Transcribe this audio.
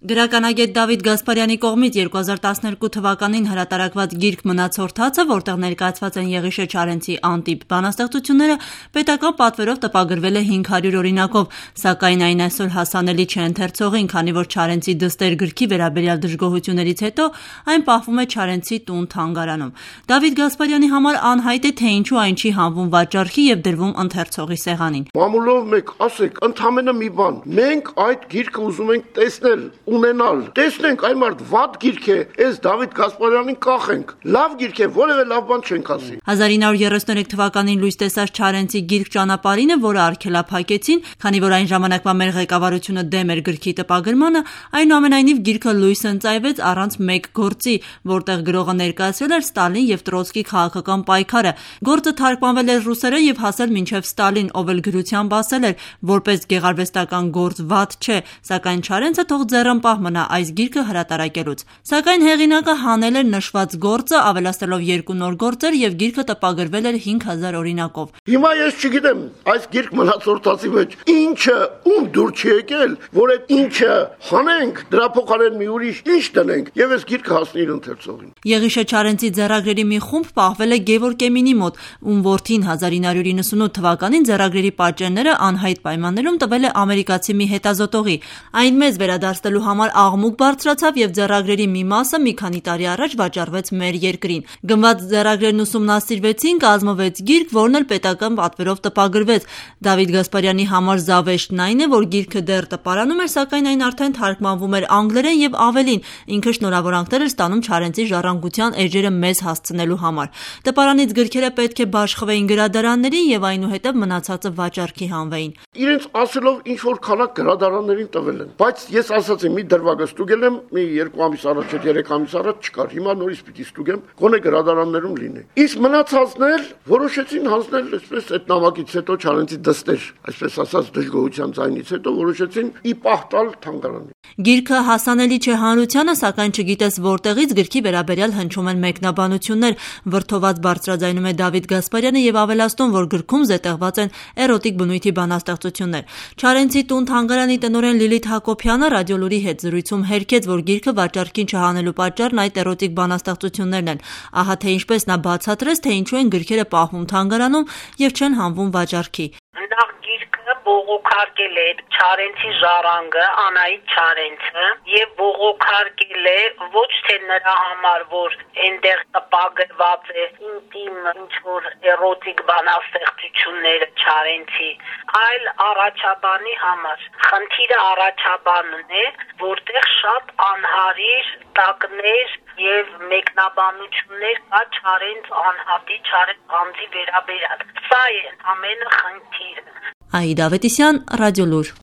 Գրականագետ Դավիթ Գասպարյանի կողմից 2012 թվականին հրատարակված գիրք «Մնացորդացը», որտեղ ներկայացված են Եղիշե Չարենցի անտիպ բանաստեղծությունները, պետական պատվերով տպագրվել է 500 օրինակով, սակայն այն այսօր հասանելի չէ ընթերցողին, քանի որ Չարենցի «Դստեր» գրքի վերաբերյալ դժգոհություններից հետո այն պահվում է Չարենցի տուն-թանգարանում։ Դավիթ Գասպարյանի համար անհայտ է, թե ինչու այն չի հանվում վաճառքի եւ դրվում ընթերցողի սեղանին։ Մամուլով մեկ ասեք, ընդամենը մի բան, մենք այդ գիրքը ուզում ենք տեսնել, ունենալ, տեսնենք այն մարդ վատ գիրք է, այս Դավիթ Գասպարյանին կախենք, լավ գիրք է, որևէ լավ բան չենք ասի։ 1933 թվականին լույս տեսած Չարենցի գիրք «Ճանապարհինը», որը արգելափակեցին, քանի որ այն ժամանակվա մեր ղեկավարությունը դեմ էր գրքի տպագրմանը, այնուամենայնիվ գիրքը լույս ընծայվեց առանց մեկ գործի, որտեղ գրողը ներկայացրել էր Ստալին եւ Տրոցկի քաղաքական պայքարը։ Գործը թարգմանվել էր ռուսերեն եւ հասել մինչեւ Ստալին, ով էլ գրությամբ ասել էր, որպես գեղարվեստական գործ վատ չէ, սակայն Չարենցը թող ձեռնպահ մնա այս գիրքը հրատարակելուց։ Սակայն հեղինակը հանել էր նշված գործը, ավելացնելով 2 նոր գործեր եւ գիրքը տպագրվել էր 5000 օրինակով։ Հիմա ես չգիտեմ, այս գիրք մնացորդացի մեջ ինչը ում դուր չի եկել, որ այդ ինչը հանենք, դրա փոխարեն մի ուրիշ ինչ տնենք եւ այս գիրքը հասնի իր ընթերցողին։ Եղիշե Չարենցի ձեռագրերի մի խումբ պահվել է Գևորգ Էմինի մոտ, ում որդին 1998 թվականին ձեռագրերի պատճենները անհայտ պայմաններում տվել է ամերիկացի մի հետազոտողի։ Այն մեզ վերադարձնելու համար աղմուկ բարձրացավ եւ ձեռագրերի մի մասը մի քանի տարի առաջ վաճառվեց մեր երկրին։ Գնված ձեռագրերն ուսումնասիրվեցին, կազմվեց գիրք, որն էլ պետական պատվերով տպագրվեց։ Դավիթ Գասպարյանի համար զավեշտն այն է, որ գիրքը դեռ տպարանում էր, սակայն այն արդեն թարգմանվում էր անգլերեն եւ ավելին, ինքը շնորհավորանքներ էր ստանում Չարենցի ժառանգության էջերը մեզ հասցնելու համար։ Տպարանից գրքերը պետք է բաշխվեին գրադարաններին եւ այնուհետեւ մնացածը վաճառքի հանվեին։ Իրենց ասելով ինչ որ քանակ գրադարաններին տվել են, բայց ես ասացի մի դրվագը ստուգել եմ, մի 2 ամիս առաջ, 3 ամիս առաջ չկար, հիմա նորից պիտի ստուգեմ, գոնե գրադարաններում լինի։ Իսկ մնացածն էլ որոշեցին հանձնել այսպես այդ նամակից հետո Չարենցի «Դստեր», այսպես ասած դժգոհության ձայնից հետո որոշեցին ի պահ տալ թանգարանին։ Գիրքը հասանելի չէ հանրությանը, սակայն չգիտես որտեղից գրքի վերաբերյալ հնչում են մեկնաբանություններ, վրդոված բարձրաձայնում է Դավիթ Գասպարյանը եւ ավելացնում, որ գրքում զետեղված են էրոտիկ բնույթի բանաստեղծություններ։ Չարենցի տուն-թանգարանի տնօրեն Լիլիթ Հակոբյանը Ռադիոլուրի հետ զրույցում հերքեց, որ գիրքը վաճառքին չհանելու պատճառն այդ էրոտիկ բանաստեղծություններն են։ Ահա թե ինչպես նա բացատրեց, թե ինչու են գրքերը պահվում թանգարանում եւ չեն հանվում վաճառքի։ Նախ գիրքը բողոքարկել է Չարենցի ժառանգը Անահիտ Չարենցը եւ բողոքարկել է ոչ թե նրա համար, որ այնտեղ տպագրված է ինտիմ ինչ-որ էրոտիկ բանաստեղծությունները Չարենցի, այլ առաջաբանի համար։ Խնդիրը առաջաբանն է, որտեղ շատ անհարիր տակներ եւ մեկնաբանություններ կա Չարենց անհատի, Չարենց անձի վերաբերյալ։ Սա է ամենը խնդիրը։ Աիդա Ավետիսյան, Ռադիոլուր։